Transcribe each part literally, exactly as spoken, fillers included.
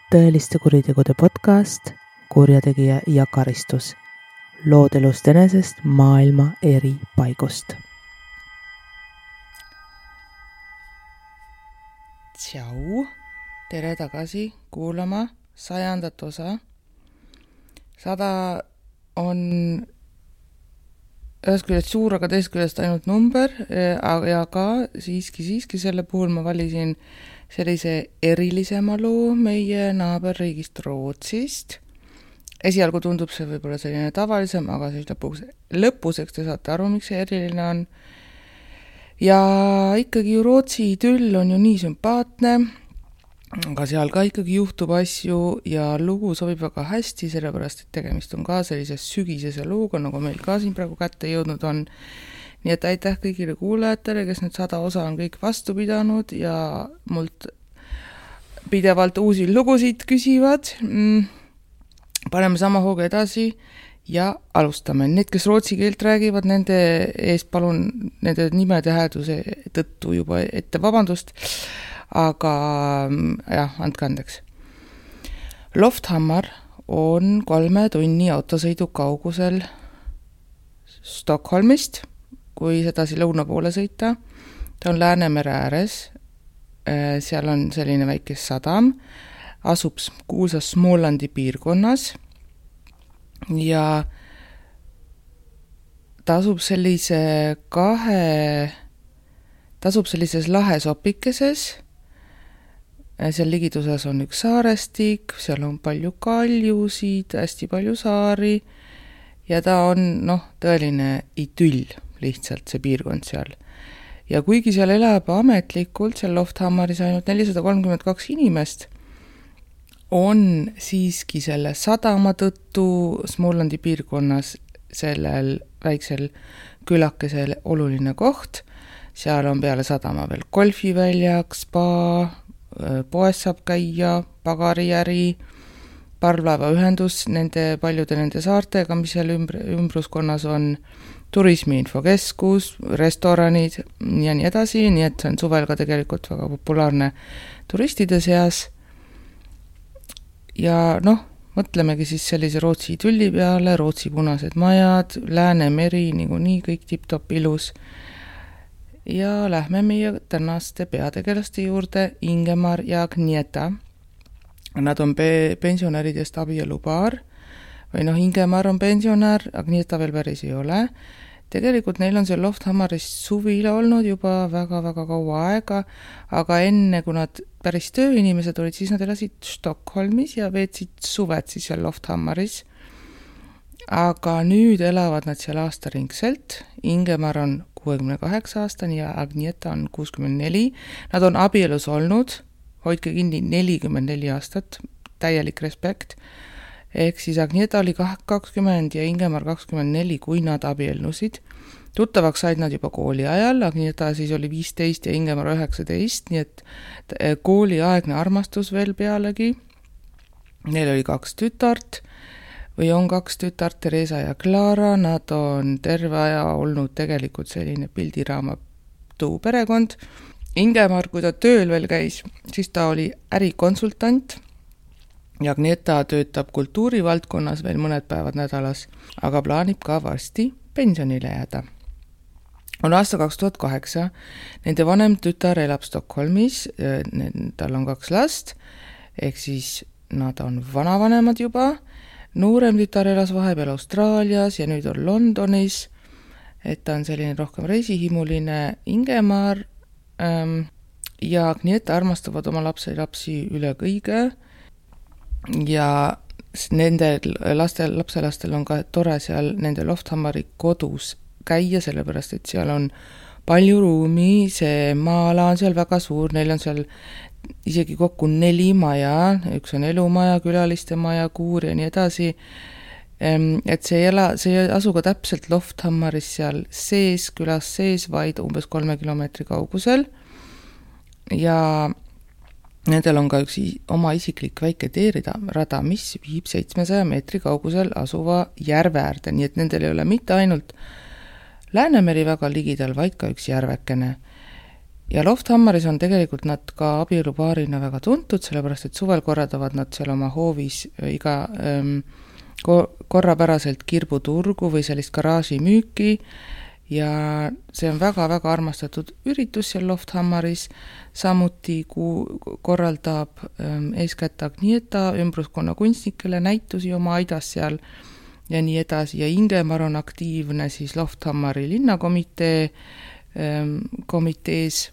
tõeliste kuritegude podcast Kurjategija ja karistus. Lood elust enesest maailma eri paigust. Tšau, tere tagasi kuulama sajandat osa. Sada on ühest küljest suur, aga teist küljest ainult number ja ka siiski, siiski selle puhul ma valisin sellise erilisema loo meie naaberriigist Rootsist. Esialgu tundub see võib-olla selline tavalisem, aga siis lõpuks, lõpuseks te saate aru, miks see eriline on. Ja ikkagi ju Rootsi idüll on ju nii sümpaatne, aga seal ka ikkagi juhtub asju ja lugu sobib väga hästi, sellepärast et tegemist on ka sellise sügisese looga, nagu meil ka siin praegu kätte jõudnud on. Nii et aitäh kõigile kuulajatele, kes nüüd sada osa on kõik vastu pidanud ja mult pidevalt uusi lugusid küsivad. Paneme sama hooga edasi ja alustame. Need, kes rootsi keelt räägivad, nende eest palun nende nimede hääduse tõttu juba ette vabandust, aga jah, andke andeks. Lofthammar on kolme tunni autosõidu kaugusel Stockholmist, kui sedasi lõuna poole sõita. Ta on Läänemere ääres, seal on selline väike sadam, asub kuulsas Smålandi piirkonnas ja ta asub sellise kahe, ta asub sellises lahesopikeses, seal ligituses on üks saarestik, seal on palju kaljusid, hästi palju saari ja ta on noh, tõeline idüll. Lihtsalt see piirkond seal. Ja kuigi seal elab ametlikult, seal Lofthammaris ainult nelisada kolmkümmend kaks inimest, on siiski selle sadama tõttu Smålandi piirkonnas sellel väiksel külakesel oluline koht. Seal on peale sadama veel golfiväljak, spa, poes saab käia, pagarijäri, parvlaevaühendus nende paljude nende saartega, mis seal ümbr- ümbruskonnas on, turismiinfokeskus, restoranid ja nii edasi, nii et see on suvel ka tegelikult väga populaarne turistide seas. Ja noh, mõtlemegi siis sellise Rootsi idülli peale, Rootsi punased majad, Läänemeri, nagu nii kõik tipp-top ilus. Ja lähme meie tänaste peategelaste juurde, Ingemar ja Agnieta. Nad on pe- pensionäridest abielupaar. Või noh, Ingemar on pensionär, Agnieta veel päris ei ole. Tegelikult neil on seal Lofthammaris suvila olnud juba väga-väga kaua aega, aga enne, kui nad päris tööinimesed olid, siis nad elasid Stockholmis ja veetsid suved siis seal Lofthammaris. Aga nüüd elavad nad seal aastaringselt. Ingemar on kuuekümne kaheksa aastani ja Agnieta on kuuskümmend neli. Nad on abielus olnud, hoidke kinni nelikümmend neli aastat, täielik respekt. Ehk siis Agnieta oli kakskümmend ja Ingemar kakskümmend neli, kui nad abielnusid. Tuttavaks said nad juba kooli ajal, Agnieta siis oli viisteist ja Ingemar üheksateist, nii et kooliaegne armastus veel pealegi. Neil oli kaks tütart või on kaks tütart, Teresa ja Clara. Nad on terve aja olnud tegelikult selline pildiraamatu perekond. Ingemar, kui ta tööl veel käis, siis ta oli ärikonsultant. Ja Agnieta töötab kultuurivaldkonnas veel mõned päevad nädalas, aga plaanib ka varsti pensionile jääda. On aasta kaks tuhat kaheksa, nende vanem tütar elab Stockholmis, tal on kaks last, ehk siis nad on vanavanemad juba. Noorem tütar elas vahepeal Austraalias ja nüüd on Londonis, et ta on selline rohkem reisihimuline. Ingemar ähm, ja Agnieta armastavad oma lapsi lapsi üle kõige. Ja nende lastel, lapselastel on ka tore seal nende Lofthammari kodus käia, sellepärast et seal on palju ruumi, see maa-ala on seal väga suur, neil on seal isegi kokku neli maja, üks on elumaja, külaliste maja, kuur ja nii edasi. Et see, ela, see asu ka täpselt Lofthammaris seal sees, külas sees, vaid umbes kolme kilomeetri kaugusel. Ja nendel on ka üks oma isiklik väike teerida rada, mis viib seitsmesaja meetri kaugusel asuva järve äärde, nii et nendel ei ole mitte ainult Läänemeri väga ligidal, vaid ka üks järvekene. ja Lofthammaris on tegelikult nad ka abielupaarina väga tuntud, sellepärast et suvel korraldavad nad seal oma hoovis iga ähm, korrapäraselt kirbuturgu või sellist garaaži müüki ja see on väga-väga armastatud üritus seal Lofthammaris, samuti ku- korraldab ähm, eeskätt Agnieta ümbruskonna kunstnikele näitusi oma aidas seal ja nii edasi ja Ingemar on aktiivne siis Lofthammari linnakomitee ähm, komitees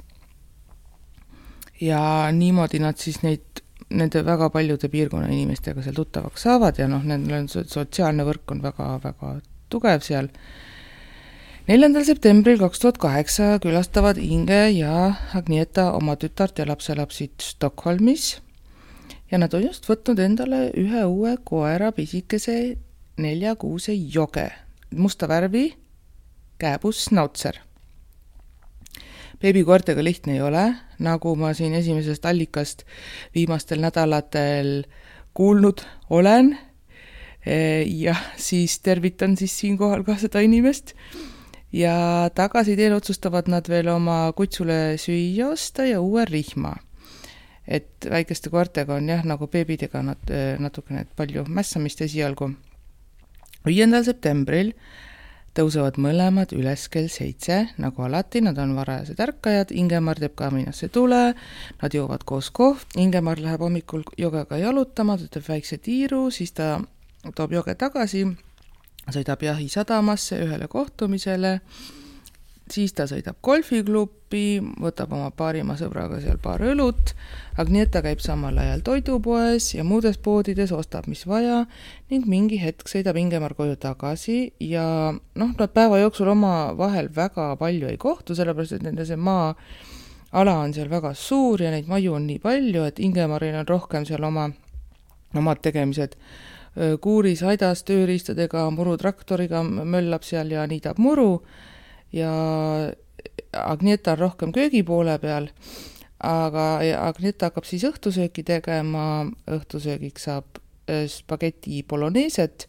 ja niimoodi nad siis neid nende väga paljude piirkonna inimestega seal tuttavaks saavad ja noh, nendel on sotsiaalne võrk on väga-väga tugev seal. neljandal septembril kaks tuhat kaheksa külastavad Inge ja Agnieta oma tütart ja lapselapsid Stockholmis ja nad on just võtnud endale ühe uue koera pisikese neljakuuse joge, musta värvi kääbus Schnauzer. Beebikoertega lihtne ei ole, nagu ma siin esimesest allikast viimastel nädalatel kuulnud olen ja siis tervitan siis siinkohal ka seda inimest ja tagasi teel otsustavad nad veel oma kutsule süüa osta ja uue rihma. Et väikeste koertega on jah, nagu beebidega nad natukene palju mässamist esialgu. viiendal septembril tõusevad mõlemad üles kell seitse, nagu alati, nad on varajased ärkajad, Ingemar teeb kaminasse tule, nad joovad koos kohv, Ingemar läheb hommikul jogega jalutama, ta teeb väikse tiiru, siis ta toob joge tagasi, sõidab jahi sadamasse ühele kohtumisele, siis ta sõidab golfiklubi, võtab oma paarima sõbraga seal paar õlut, Agnieta käib samal ajal toidupoes ja muudes poodides ostab mis vaja ning mingi hetk sõidab Ingemar koju tagasi ja noh, nad päeva jooksul oma vahel väga palju ei kohtu, sellepärast et nende see maa ala on seal väga suur ja neid maju on nii palju, et Ingemaril on rohkem seal oma omad tegemised kuuris, aidas, tööriistadega, murutraktoriga möllab seal ja niidab muru ja Agnieta on rohkem köögi poole peal, aga Agnieta hakkab siis õhtusööki tegema, õhtusöögiks saab spaghetti boloneeset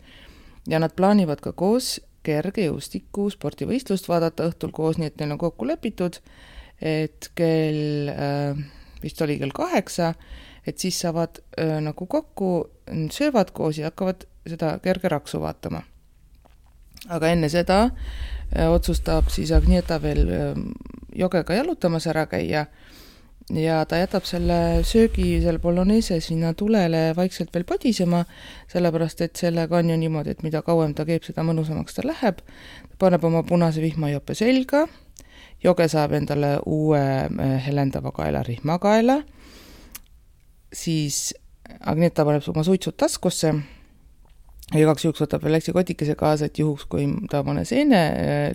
ja nad plaanivad ka koos kergejõustiku spordivõistlust vaadata õhtul koos, nii et neil on kokku lepitud, et kell, vist oli kell kaheksa, et siis saavad nagu kokku, söövad koos ja hakkavad seda kerge raksu vaatama. Aga enne seda otsustab siis Agnieta veel jogega jalutamas ära käia ja ta jätab selle söögi, selle boloneese sinna tulele vaikselt veel podisema, sellepärast et sellega on ju niimoodi, et mida kauem ta keeb, seda mõnusamaks ta läheb. Ta paneb oma punase vihmajope selga, joge saab endale uue helendava kaela rihmakaela, siis Agnieta paneb oma suitsud taskusse ja igaks juhuks võtab veel läksi kotikese kaasa, et juhuks, kui ta mõne seene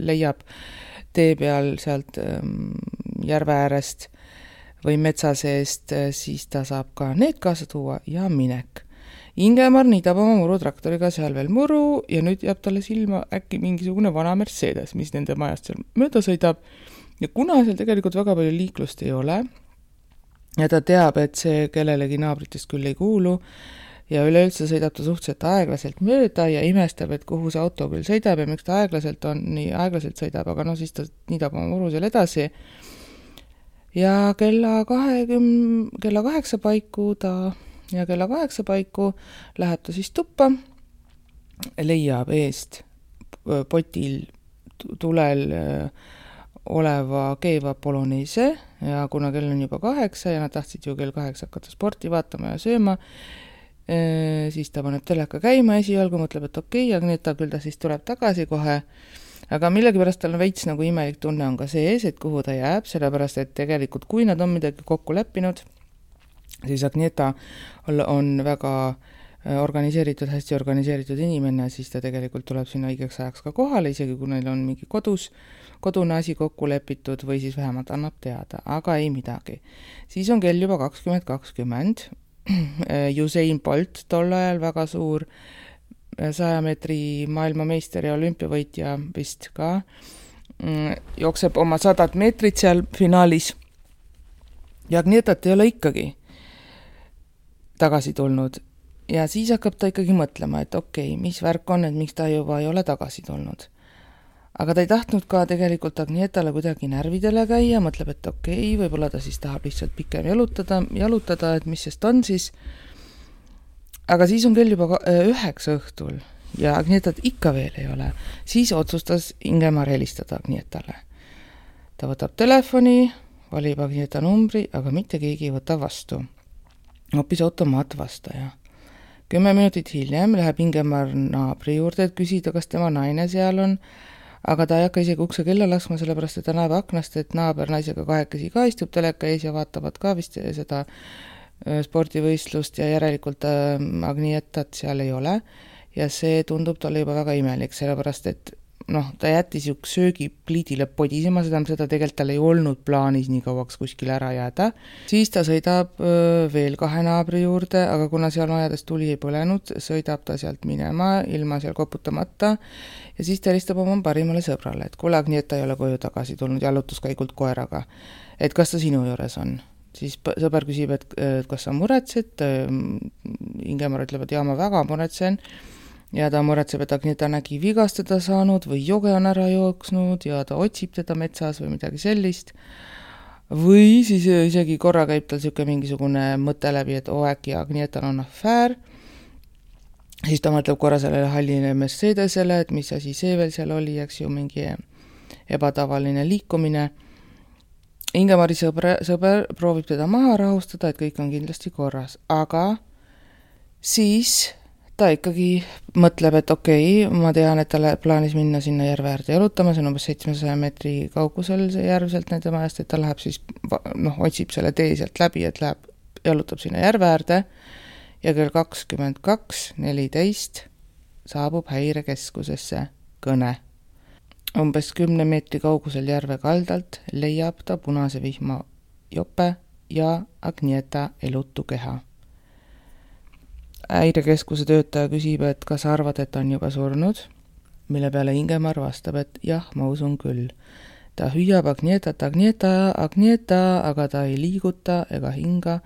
leiab tee peal sealt järve äärest või metsa seest, siis ta saab ka need kaasa tuua ja minek. Ingemar niidab oma murutraktoriga seal veel muru ja nüüd jääb talle silma äkki mingisugune vana Mercedes, mis nende majast seal mööda sõidab ja kuna seal tegelikult väga palju liiklust ei ole ja ta teab, et see kellelegi naabritest küll ei kuulu ja üleüldse sõidab ta suhteliselt aeglaselt mööda ja imestab, et kuhu see auto küll sõidab ja miks ta aeglaselt on, nii aeglaselt sõidab, aga no siis ta niidab oma muru seal edasi. Ja kella kahekümne, kella kaheksa paiku ta, ja kella kaheksa paiku läheb ta siis tuppa, leiab eest potil tulel oleva keeva boloneese ja kuna kell on juba kaheksa ja nad tahtsid ju kell kaheksa hakata sporti vaatama ja sööma, siis ta paneb teleka käima esialgu, mõtleb, et okei, okay, Agnieta küll ta siis tuleb tagasi kohe, aga millegipärast tal on veits nagu imelik tunne on ka sees, et kuhu ta jääb, sellepärast et tegelikult kui nad on midagi kokku leppinud, siis Agnieta on väga organiseeritud, hästi organiseeritud inimene, siis ta tegelikult tuleb sinna õigeks ajaks ka kohale, isegi kui neil on mingi kodus, kodune asi kokku lepitud või siis vähemalt annab teada, aga ei midagi. Siis on kell juba kakskümmend kakskümmend, Usain Bolt tol ajal väga suur saja meetri maailmameister ja olümpiavõitja vist ka, jookseb oma sadat meetrit seal finaalis ja Agnietat ei ole ikkagi tagasi tulnud ja siis hakkab ta ikkagi mõtlema, et okei, okay, mis värk on, et miks ta juba ei ole tagasi tulnud. aga ta ei tahtnud ka tegelikult Agnietale kuidagi närvidele käia, mõtleb, et okei, okay, võib-olla ta siis tahab lihtsalt pikem jalutada, jalutada, et mis sest on siis. Aga siis on kell juba üheksa õhtul ja Agnietat ikka veel ei ole. Siis otsustas Ingemar helistada Agnietale. Ta võtab telefoni, valib Agnieta numbri, aga mitte keegi ei võta vastu. Hoopis automaatvastaja. Kümme minutit hiljem läheb Ingemar naabri juurde, et küsida, kas tema naine seal on, aga ta ei hakka isegi ukse kella laskma, sellepärast, et ta näeb aknast, et naaber naisega kahekesi ka istub teleka ees ja vaatavad ka vist seda spordivõistlust ja järelikult Agnietat seal ei ole. Ja see tundub talle juba väga imelik, sellepärast, et noh, ta jättis ju söögipliidile podisema, seda, seda tegelikult tal ei olnud plaanis nii kauaks kuskile ära jääda. Siis ta sõidab veel kahe naabri juurde, aga kuna seal majades tuli ei põlenud, sõidab ta sealt minema ilma seal koputamata ja siis ta helistab oma parimale sõbrale, et kuule, Agnieta ei ole koju tagasi tulnud jalutuskäigult koeraga, et kas ta sinu juures on. Siis sõber küsib, et kas sa muretsed, Ingemar ütleb, et jaa, ma väga muretsen, ja ta muretseb, et Agnieta nägi vigastada saanud või joge on ära jooksnud ja ta otsib teda metsas või midagi sellist. Või siis isegi korra käib tal siuke mingisugune mõte läbi, et oo, äkki Agnietal on afäär. Siis ta mõtleb korra sellele halline Mercedesele, et mis asi see veel seal oli, eks ju mingi ebatavaline liikumine. Ingemari sõber, sõber proovib teda maha rahustada, et kõik on kindlasti korras, aga siis ta ikkagi mõtleb, et okei, okay, ma tean, et ta plaanis minna sinna järve äärde jalutama, see on umbes seitsmesaja meetri kaugusel see järv sealt nende majast, et ta läheb siis, noh, otsib selle tee sealt läbi, et läheb, jalutab sinna järve äärde ja kell kakskümmend kaks neliteist saabub häirekeskusesse kõne. Umbes kümne meetri kaugusel järve kaldalt leiab ta punase vihma jope ja Agnieta elutu keha. Häirekeskuse töötaja küsib, et kas arvad, et on juba surnud, mille peale Ingemar vastab, et jah, ma usun küll. Ta hüüab Agnietat, Agnieta, Agnieta, aga ta ei liiguta ega hinga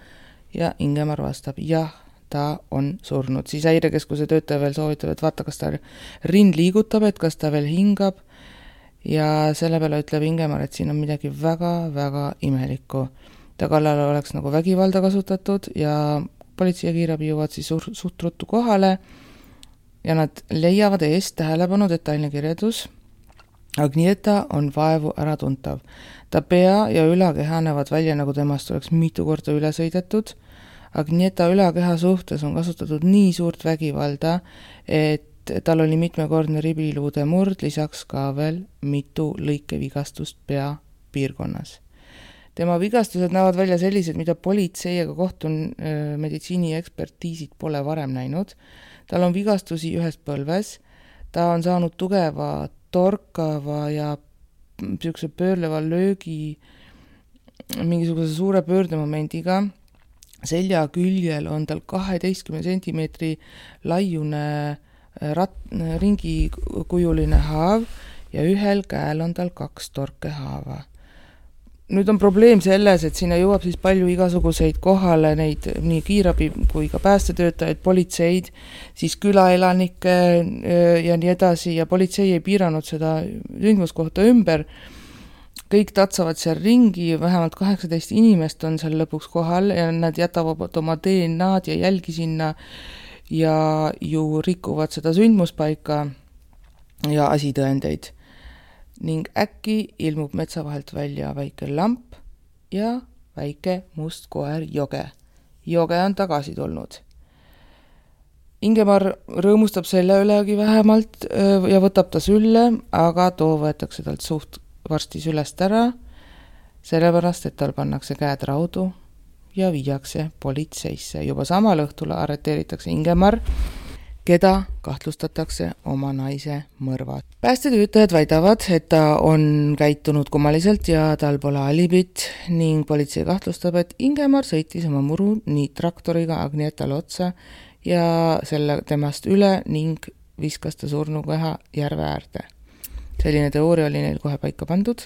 ja Ingemar vastab, jah, ta on surnud. Siis häirekeskuse töötaja veel soovitab, et vaata, kas ta rind liigutab, et kas ta veel hingab ja selle peale ütleb Ingemar, et siin on midagi väga-väga imelikku. Ta kallal oleks nagu vägivalda kasutatud ja politsei ja kiirabi jõuavad siis suht ruttu kohale ja nad leiavad eest tähelepanu detailne kirjeldus. Agnieta on vaevu äratuntav. Ta pea ja ülakeha näevad välja, nagu temast oleks mitu korda üle sõidetud. Agnieta ülakeha suhtes on kasutatud nii suurt vägivalda, et tal oli mitmekordne ribiluude murd, lisaks ka veel mitu lõikevigastust pea piirkonnas. Tema vigastused näevad välja sellised, mida politsei ega kohtun meditsiini ekspertiisid pole varem näinud. Tal on vigastusi ühes põlves, ta on saanud tugeva, torkava ja püükse pöörleva löögi mingisuguse suure pöördemomendiga. Selja küljel on tal kaheteistkümne sentimeetri laiune rat, ringikujuline haav ja ühel käel on tal kaks torkehaava. Nüüd on probleem selles, et sinna jõuab siis palju igasuguseid kohale neid nii kiirabi kui ka päästetöötajaid, politseid, siis külaelanikke ja nii edasi ja politsei ei piiranud seda sündmuskohta ümber. Kõik tatsavad seal ringi, vähemalt kaheksateist inimest on seal lõpuks kohal ja nad jätavad oma D N A-d ja jälgi sinna ja ju rikuvad seda sündmuspaika ja asitõendeid. Ning äkki ilmub metsa vahelt välja väike lamp ja väike must koer Joge. Joge on tagasi tulnud. Ingemar rõõmustab selle ülegi vähemalt ja võtab ta sülle, aga too võetakse talt suht varsti sülest ära, sellepärast, et tal pannakse käed raudu ja viiakse politseisse. Juba samal õhtul arreteeritakse Ingemar, keda kahtlustatakse oma naise mõrvad. Päästetöötajad väidavad, et ta on käitunud kummaliselt ja tal pole alibit ning politsei kahtlustab, et Ingemar sõitis oma muru nii traktoriga Agnietale otsa ja selle temast üle ning viskas ta surnukeha järve äärde. Selline teooria oli neil kohe paika pandud.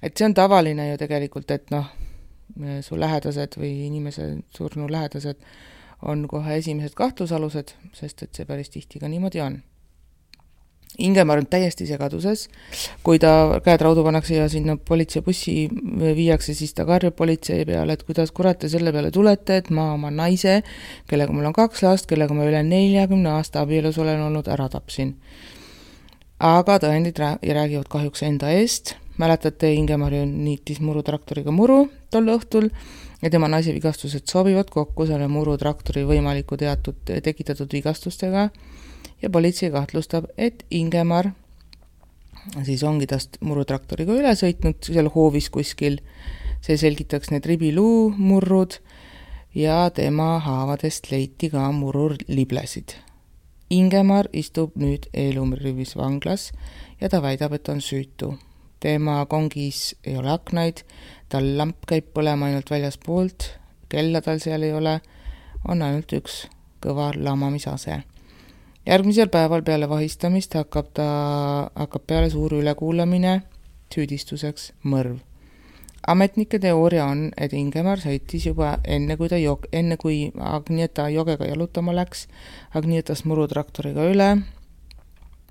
Et see on tavaline ju tegelikult, et noh, su lähedased või inimese surnu lähedased on kohe esimesed kahtlusalused, sest et see päris tihti ka niimoodi on. Ingemar on täiesti segaduses, kui ta käed raudu pannakse ja sinna politseibussi viiakse, siis ta karjub politsei peale, et kuidas kurat te selle peale tulete, et ma oma naise, kellega mul on kaks last, kellega ma üle neljakümne aasta abielus olen olnud, ära tapsin. Aga tõendid räägivad kahjuks enda eest. Mäletate, Ingemar ju niitis murutraktoriga muru tol õhtul ja tema naise vigastused sobivad kokku selle murutraktori võimaliku teatud tekitatud vigastustega. Ja politsei kahtlustab, et Ingemar siis ongi tast murutraktoriga üle sõitnud seal hoovis kuskil. See selgitaks need ribiluu murrud ja tema haavadest leiti ka murur liblesid. Ingemar istub nüüd Eelumrivis vanglas ja ta väidab, et on süütu. Tema kongis ei ole aknaid, tal lamp käib põlema ainult väljaspoolt, kella tal seal ei ole, on ainult üks kõva lamamisase. Järgmisel päeval peale vahistamist hakkab ta hakkab peale suur ülekuulamine süüdistuseks mõrv. Ametnike teooria on, et Ingemar sõitis juba enne kui, ta jog, enne kui Agnieta jogega jalutama läks, Agnietas murutraktoriga üle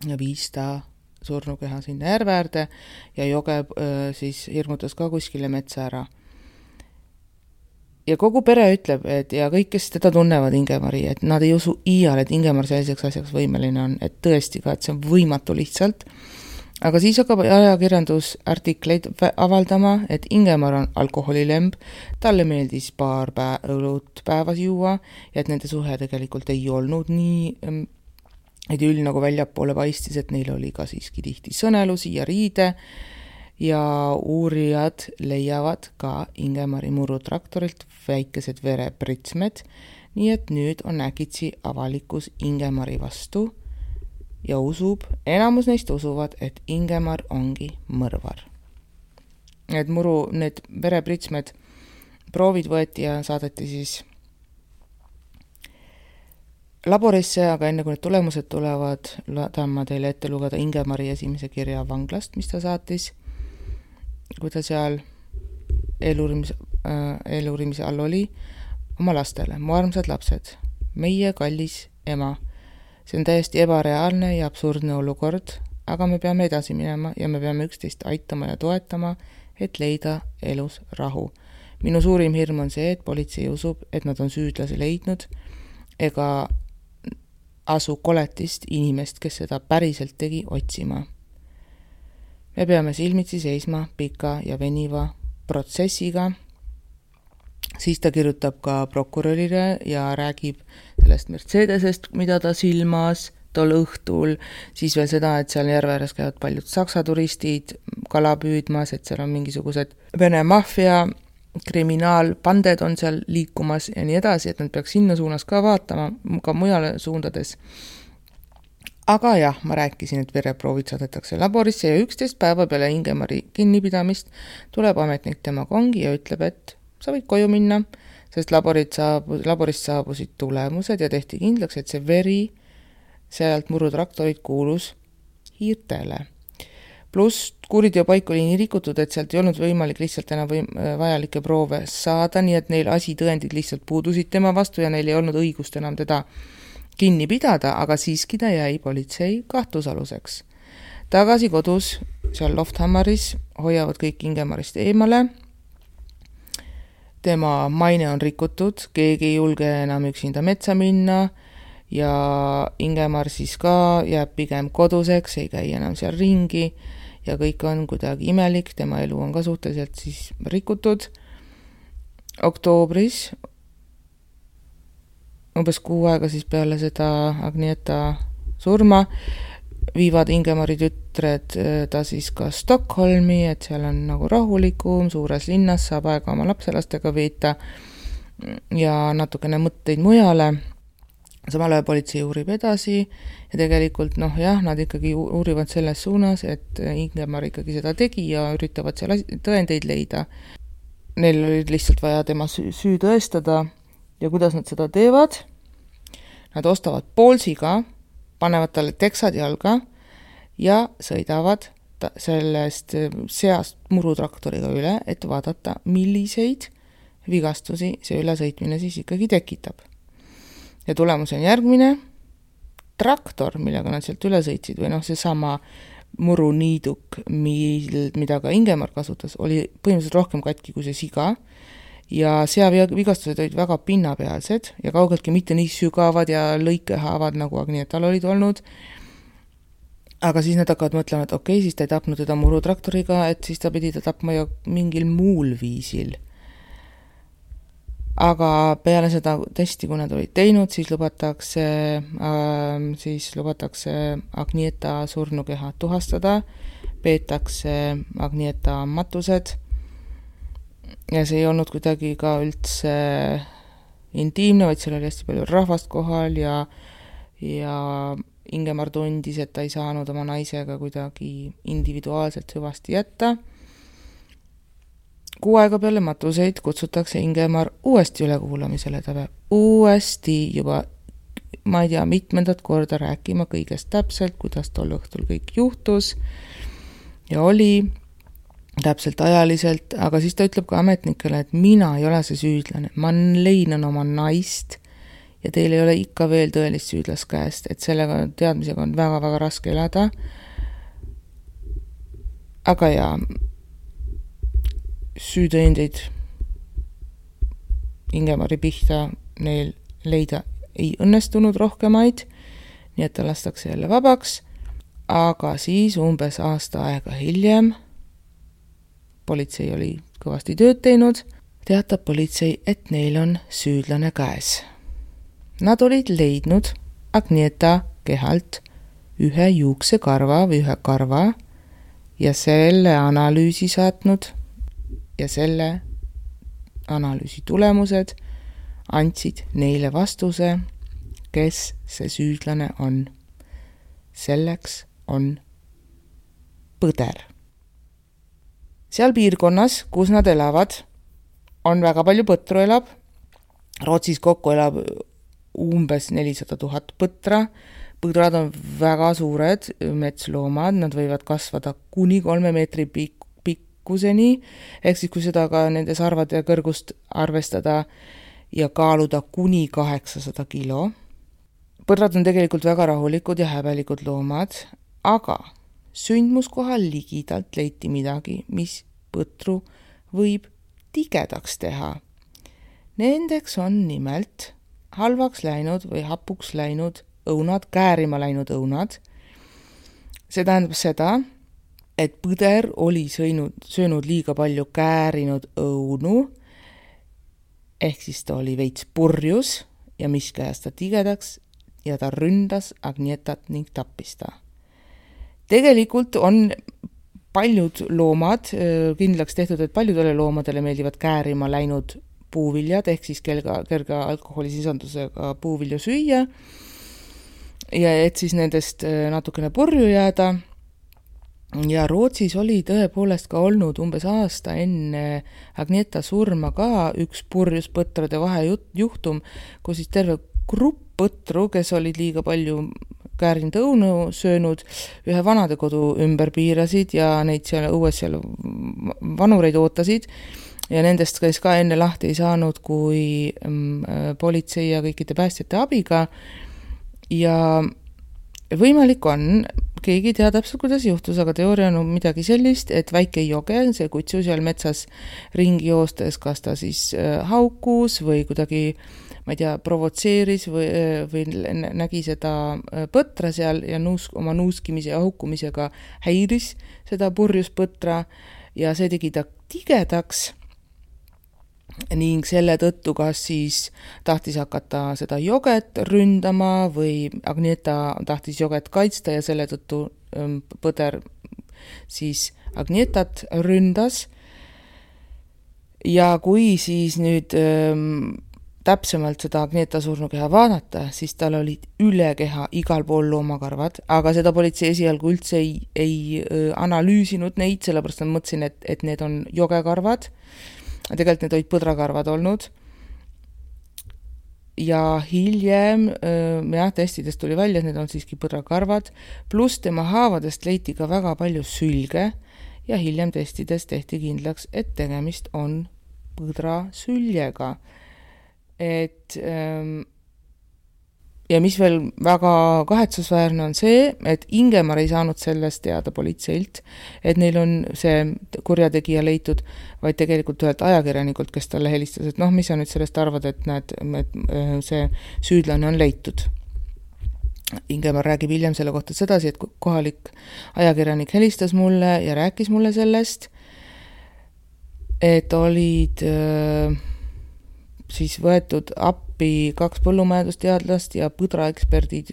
ja viis ta surnukeha sinna järveäärde ja joge äh, siis hirmutas ka kuskile metsa ära. Ja kogu pere ütleb, et ja kõik, kes teda tunnevad Ingemari, et nad ei usu iial, et Ingemar selliseks asjaks võimeline on, et tõesti ka, et see on võimatu lihtsalt. Aga siis hakkab ajakirjandus artikleid avaldama, et Ingemar on alkoholilemb, talle meeldis paar pä- õlut päevas juua ja et nende suhe tegelikult ei olnud nii idüll nagu väljapoole paistis, et neil oli ka siiski tihti sõnelusi ja riide ja uurijad leiavad ka Ingemari murutraktorilt väikesed verepritsmed, nii et nüüd on äkitsi avalikkus Ingemari vastu ja usub, enamus neist usuvad, et Ingemar ongi mõrvar. Need muru, need verepritsmed proovid võeti ja saadeti siis laborisse, aga enne kui need tulemused tulevad, tahan ma teile ette lugeda Ingemari esimese kirja vanglast, mis ta saatis, kui ta seal eeluurimise, äh, eeluurimise all oli, oma lastele, mu armsad lapsed, meie kallis ema. See on täiesti ebareaalne ja absurdne olukord, aga me peame edasi minema ja me peame üksteist aitama ja toetama, et leida elus rahu. Minu suurim hirm on see, et politsei usub, et nad on süüdlase leidnud ega asu koletist inimest, kes seda päriselt tegi, otsima. Me peame silmitsi seisma pika ja veniva protsessiga. Siis ta kirjutab ka prokurörile ja räägib sellest Mercedesest, mida ta silmas tol õhtul, siis veel seda, et seal järveääres käivad paljud saksa turistid kala püüdmas, et seal on mingisugused Vene maffia kriminaalpanded on seal liikumas ja nii edasi, et nad peaks sinna suunas ka vaatama, ka mujale suundades. Aga jah, ma rääkisin, et vereproovid saadetakse laborisse ja üksteist päeva peale Ingemari kinnipidamist tuleb ametnik tema kongi ja ütleb, et sa võid koju minna, sest laborid saabu, laborist saabusid tulemused ja tehti kindlaks, et see veri sealt murutraktorit kuulus hiirtele. Plus kuuriteo paik oli nii rikutud, et sealt ei olnud võimalik lihtsalt enam võim- vajalikke proove saada, nii et neil asitõendid lihtsalt puudusid tema vastu ja neil ei olnud õigust enam teda kinni pidada, aga siiski ta jäi politsei kahtlusaluseks. Tagasi kodus, seal Lofthammaris, hoiavad kõik Ingemarist eemale. Tema maine on rikutud, keegi ei julge enam üksinda metsa minna ja Ingemar siis ka jääb pigem koduseks, ei käi enam seal ringi ja kõik on kuidagi imelik, tema elu on ka suhteliselt siis rikutud. Oktoobris, umbes kuu aega siis peale seda Agnieta surma, viivad Ingemari tütred ta siis ka Stockholmi, et seal on nagu rahulikum, suures linnas saab aega oma lapselastega veeta ja natukene mõtteid mujale. Samal ajal politsei uurib edasi ja tegelikult noh jah, nad ikkagi uurivad selles suunas, et Ingemar ikkagi seda tegi ja üritavad seal tõendeid leida. Neil oli lihtsalt vaja tema süü tõestada ja kuidas nad seda teevad. Nad ostavad poolsiga, panevad talle teksad jalga ja sõidavad sellest seast murutraktoriga üle, et vaadata, milliseid vigastusi see ülesõitmine siis ikkagi tekitab. Ja tulemus on järgmine. traktor, millega nad sealt üle sõitsid, või noh, see sama muruniiduk, mil, mida ka Ingemar kasutas, oli põhimõtteliselt rohkem katki kui see siga ja seavigastused olid väga pinnapealsed ja kaugeltki mitte nii sügavad ja lõikehaavad, nagu Agnietal olid olnud. Aga siis nad hakkavad mõtlema, et okei, okay, siis ta ei tapnud teda murutraktoriga, et siis ta pidi ta tapma ju mingil muul viisil. Aga peale seda testi, kui nad olid teinud, siis lubatakse, äh, siis lubatakse Agnieta surnukeha tuhastada, peetakse Agnieta matused ja see ei olnud kuidagi ka üldse intiimne, vaid seal oli hästi palju rahvast kohal ja, ja Ingemar tundis, et ta ei saanud oma naisega kuidagi individuaalselt hüvasti jätta. Kuu aega peale matuseid kutsutakse Ingemar uuesti ülekuulamisele, ta peab uuesti juba, ma ei tea, mitmendat korda rääkima kõigest täpselt, kuidas tol õhtul kõik juhtus ja oli täpselt ajaliselt, aga siis ta ütleb ka ametnikele, et mina ei ole see süüdlane, ma leinan oma naist ja teil ei ole ikka veel tõelist süüdlast käest, et sellega teadmisega on väga-väga raske elada. Aga ja süütõendeid Ingemari pihta neil leida ei õnnestunud rohkemaid, nii et ta lastakse jälle vabaks, aga siis umbes aasta aega hiljem, politsei oli kõvasti tööd teinud, teatab politsei, et neil on süüdlane käes. Nad olid leidnud Agnieta kehalt ühe juuksekarva või ühe karva ja selle analüüsi saatnud ja selle analüüsi tulemused andsid neile vastuse, kes see süüdlane on. Selleks on Põder. Seal piirkonnas, kus nad elavad, on väga palju põtru elab. Rootsis kokku elab umbes nelisada tuhat põtra. Põdrad on väga suured metsloomad, nad võivad kasvada kuni kolme meetri pik- pikkuseni, ehk siis kui seda ka nende sarvade kõrgust arvestada ja kaaluda kuni kaheksasada kilo. Põdrad on tegelikult väga rahulikud ja häbelikud loomad, aga sündmuskohal ligidalt leiti midagi, mis põtru võib tigedaks teha. Nendeks on nimelt halvaks läinud või hapuks läinud õunad, käärima läinud õunad. See tähendab seda, et Põder oli sõinud, söönud liiga palju käärinud õunu, ehk siis ta oli veits purjus ja mis käes ta tigedaks ja ta ründas Agnietat ning tappis ta. Tegelikult on paljud loomad kindlaks tehtud, et paljudele loomadele meeldivad käärima läinud puuviljad, ehk siis kerga, kerga alkoholisisandusega puuvilju süüa ja et siis nendest natukene purju jääda. Ja Rootsis oli tõepoolest ka olnud umbes aasta enne Agnieta surma ka üks purjus põtrade vahe juhtum, kus siis terve grupp põtru, kes olid liiga palju käärinud õunu söönud, ühe vanadekodu ümber piirasid ja neid seal õues seal vanureid ootasid. Ja nendest käis ka enne lahti ei saanud kui mm, politsei ja kõikide päästjate abiga. Ja võimalik on, keegi tea täpselt, kuidas juhtus, aga teooria on midagi sellist, et väike joge, see kutsu seal metsas ringi joostes, kas ta siis haukus või kuidagi, ma ei tea, provotseeris või, või nägi seda põtra seal ja nuus, oma nuuskimise ja haukumisega häiris seda purjus põtra ja see tegi ta tigedaks. Ning selle tõttu kas siis tahtis hakata seda joget ründama või Agnieta tahtis joget kaitsta ja selle tõttu Põder siis Agnietat ründas. Ja kui siis nüüd ähm, täpsemalt seda Agnieta surnukeha vaadata, siis tal olid üle keha igal pool loomakarvad, aga seda politsei esialgu üldse ei, ei äh, analüüsinud neid, sellepärast ma mõtlesin, et, et need on jogekarvad. Tegelikult need olid põdrakarvad olnud ja hiljem jah, testidest tuli välja, et need on siiski põdrakarvad, pluss tema haavadest leiti ka väga palju sülge ja hiljem testides tehti kindlaks, et tegemist on põdrasüljega. Et ähm, ja mis veel väga kahetsusväärne on see, et Ingemar ei saanud sellest teada politseilt, et neil on see kurjategija leitud, vaid tegelikult ühelt ajakirjanikult, kes talle helistas, et noh, mis sa nüüd sellest arvad, et näed, et see süüdlane on leitud. Ingemar räägib hiljem selle kohta sedasi, et kohalik ajakirjanik helistas mulle ja rääkis mulle sellest, et olid siis võetud appi kaks põllumajandusteadlast ja põdraeksperdid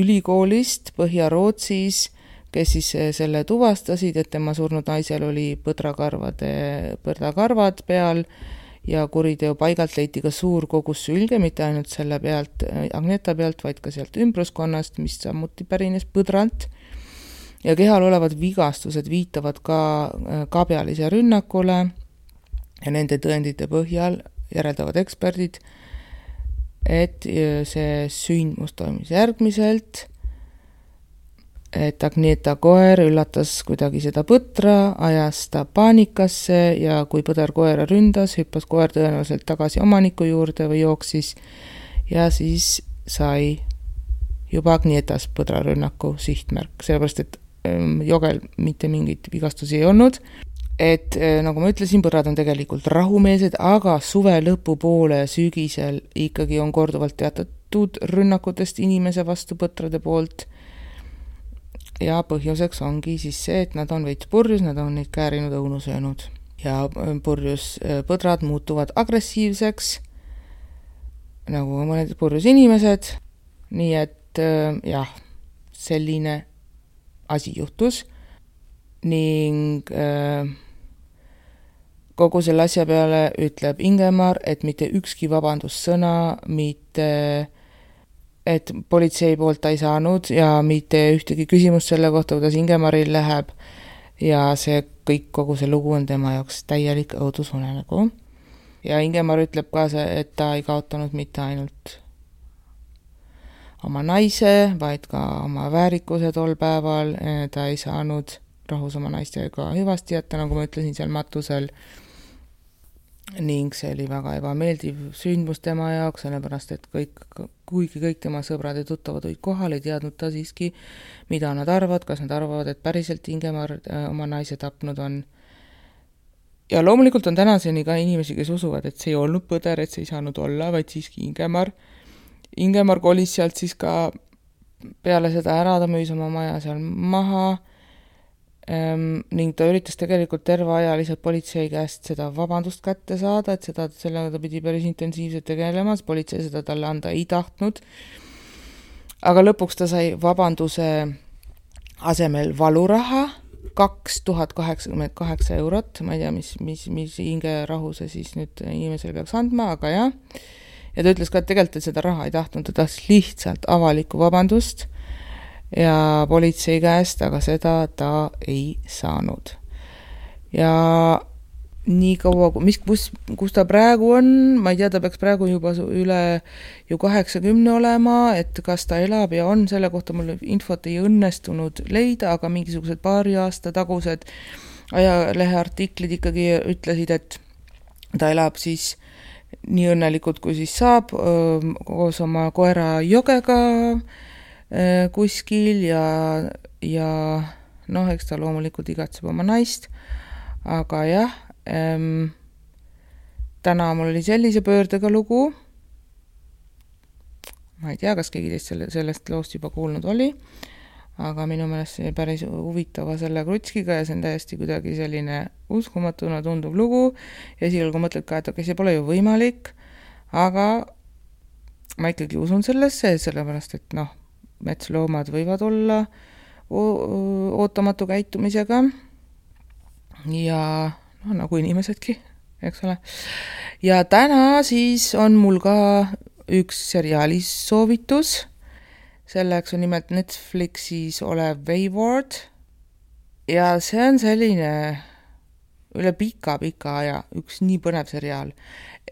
ülikoolist Põhja-Rootsis, kes siis selle tuvastasid, et tema surnud naisel oli põdrakarvade, põdrakarvad peal ja kuriteo paigalt leiti ka suur kogus sülge, mitte ainult selle pealt, Agneta pealt, vaid ka sealt ümbruskonnast, mis samuti pärines põdralt. Ja kehal olevad vigastused viitavad ka kabjalise rünnakule ja nende tõendite põhjal järeldavad eksperdid, et see sündmus toimus järgmiselt, et Agneta koer üllatas kuidagi seda põtra, ajas ta paanikasse ja kui põder koera ründas, hüppas koer tõenäoliselt tagasi omaniku juurde või jooksis ja siis sai juba Agnetas põdrarünnaku sihtmärk, sellepärast et jogel mitte mingit vigastusi ei olnud. Et nagu ma ütlesin, põrad on tegelikult rahumeelsed, aga suve lõpupoole sügisel ikkagi on korduvalt teatatud rünnakutest inimese vastu põtrade poolt. Ja põhjuseks ongi siis see, et nad on veits purjus, nad on neid käärinud õunu söönud. Ja purjus põdrad muutuvad agressiivseks, nagu mõned purjus inimesed. Nii et jah, selline asi juhtus. Ning äh, kogu selle asja peale ütleb Ingemar, et mitte ükski vabandussõna, mitte et politsei poolt ta ei saanud ja mitte ühtegi küsimust selle kohta, kuidas Ingemaril läheb ja see kõik, kogu see lugu on tema jaoks täielik õudusunenägu. Ja Ingemar ütleb ka see, et ta ei kaotanud mitte ainult oma naise, vaid ka oma väärikuse tol päeval, ta ei saanud rahus oma naistega hüvasti jätta, nagu ma ütlesin seal matusel. Ning see oli väga ebameeldiv sündmus tema jaoks, sellepärast et kõik, kuigi kõik tema sõbrad ja tuttavad olid kohal, ei teadnud ta siiski, mida nad arvavad, kas nad arvavad, et päriselt Ingemar oma naise tapnud on. Ja loomulikult on tänaseni ka inimesi, kes usuvad, et see ei olnud põder, et see ei saanud olla, vaid siiski Ingemar. Ingemar kolis sealt siis ka peale seda ära, ta müüs oma maja seal maha. Ähm, ning ta üritas tegelikult terve aja lihtsalt politsei käest seda vabandust kätte saada, et seda, sellega ta pidi päris intensiivselt tegelemas, politsei seda talle anda ei tahtnud. Aga lõpuks ta sai vabanduse asemel valuraha, kaks tuhat kaheksakümmend kaheksa eurot, ma ei tea, mis, mis, mis hinge rahuse siis nüüd inimesele peaks andma, aga jah. Ja ta ütles ka, et tegelikult et seda raha ei tahtnud, ta tahtis lihtsalt avalikku vabandust ja politsei käest, aga seda ta ei saanud. Ja nii kaua, mis, kus, kus ta praegu on, ma ei tea, ta peaks praegu juba üle ju kaheksakümne olema, et kas ta elab ja on, selle kohta mul infot ei õnnestunud leida, aga mingisugused paari aasta tagused ajalehe artiklid ikkagi ütlesid, et ta elab siis nii õnnelikult, kui siis saab, koos oma koera Jogega kuskil ja, ja noh, eks ta loomulikult igatseb oma naist, aga jah, ähm, täna mul oli sellise pöördega lugu, ma ei tea, kas keegi teist selle, sellest loost juba kuulnud oli, aga minu meelest see päris huvitava selle krutskiga ja see on täiesti kuidagi selline uskumatuna tunduv lugu ja esialgu mõtled ka, et okei, see pole ju võimalik, aga ma ikkagi usun sellesse, sellepärast, et noh, metsloomad võivad olla ootamatu käitumisega ja no, nagu inimesedki, eks ole. Ja täna siis on mul ka üks seriaalis soovitus, selleks on nimelt Netflixis olev Wayward ja see on selline üle pika-pika aja üks nii põnev seriaal,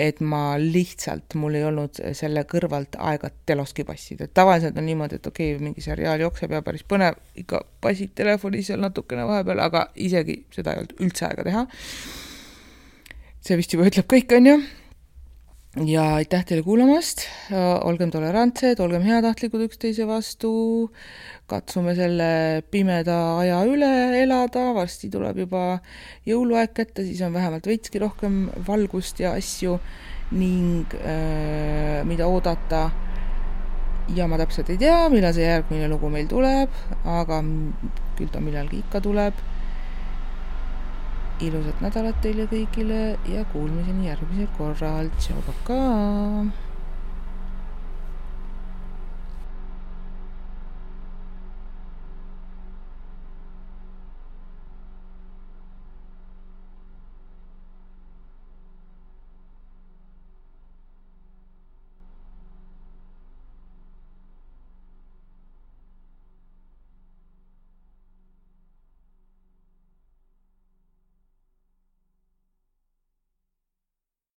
et ma lihtsalt, mul ei olnud selle kõrvalt aega teloski passida. Tavaliselt on niimoodi, et okei, okay, mingi seriaal jookseb ja päris põnev, ikka passid telefonis seal natukene vahepeal, aga isegi seda ei olnud üldse aega teha. See vist juba ütleb kõik, on ju. ja aitäh teile kuulamast, olgem tolerantsed, olgem heatahtlikud üksteise vastu, katsume selle pimeda aja üle elada, varsti tuleb juba jõuluaeg kätte, siis on vähemalt veitski rohkem valgust ja asju ning äh, mida oodata. Ja ma täpselt ei tea, millal see järgmine lugu meil tuleb, aga küll ta millalgi ikka tuleb. Ilusat nädalat teile kõigile ja kuulmiseni järgmisel korral. Tšau, pakaa!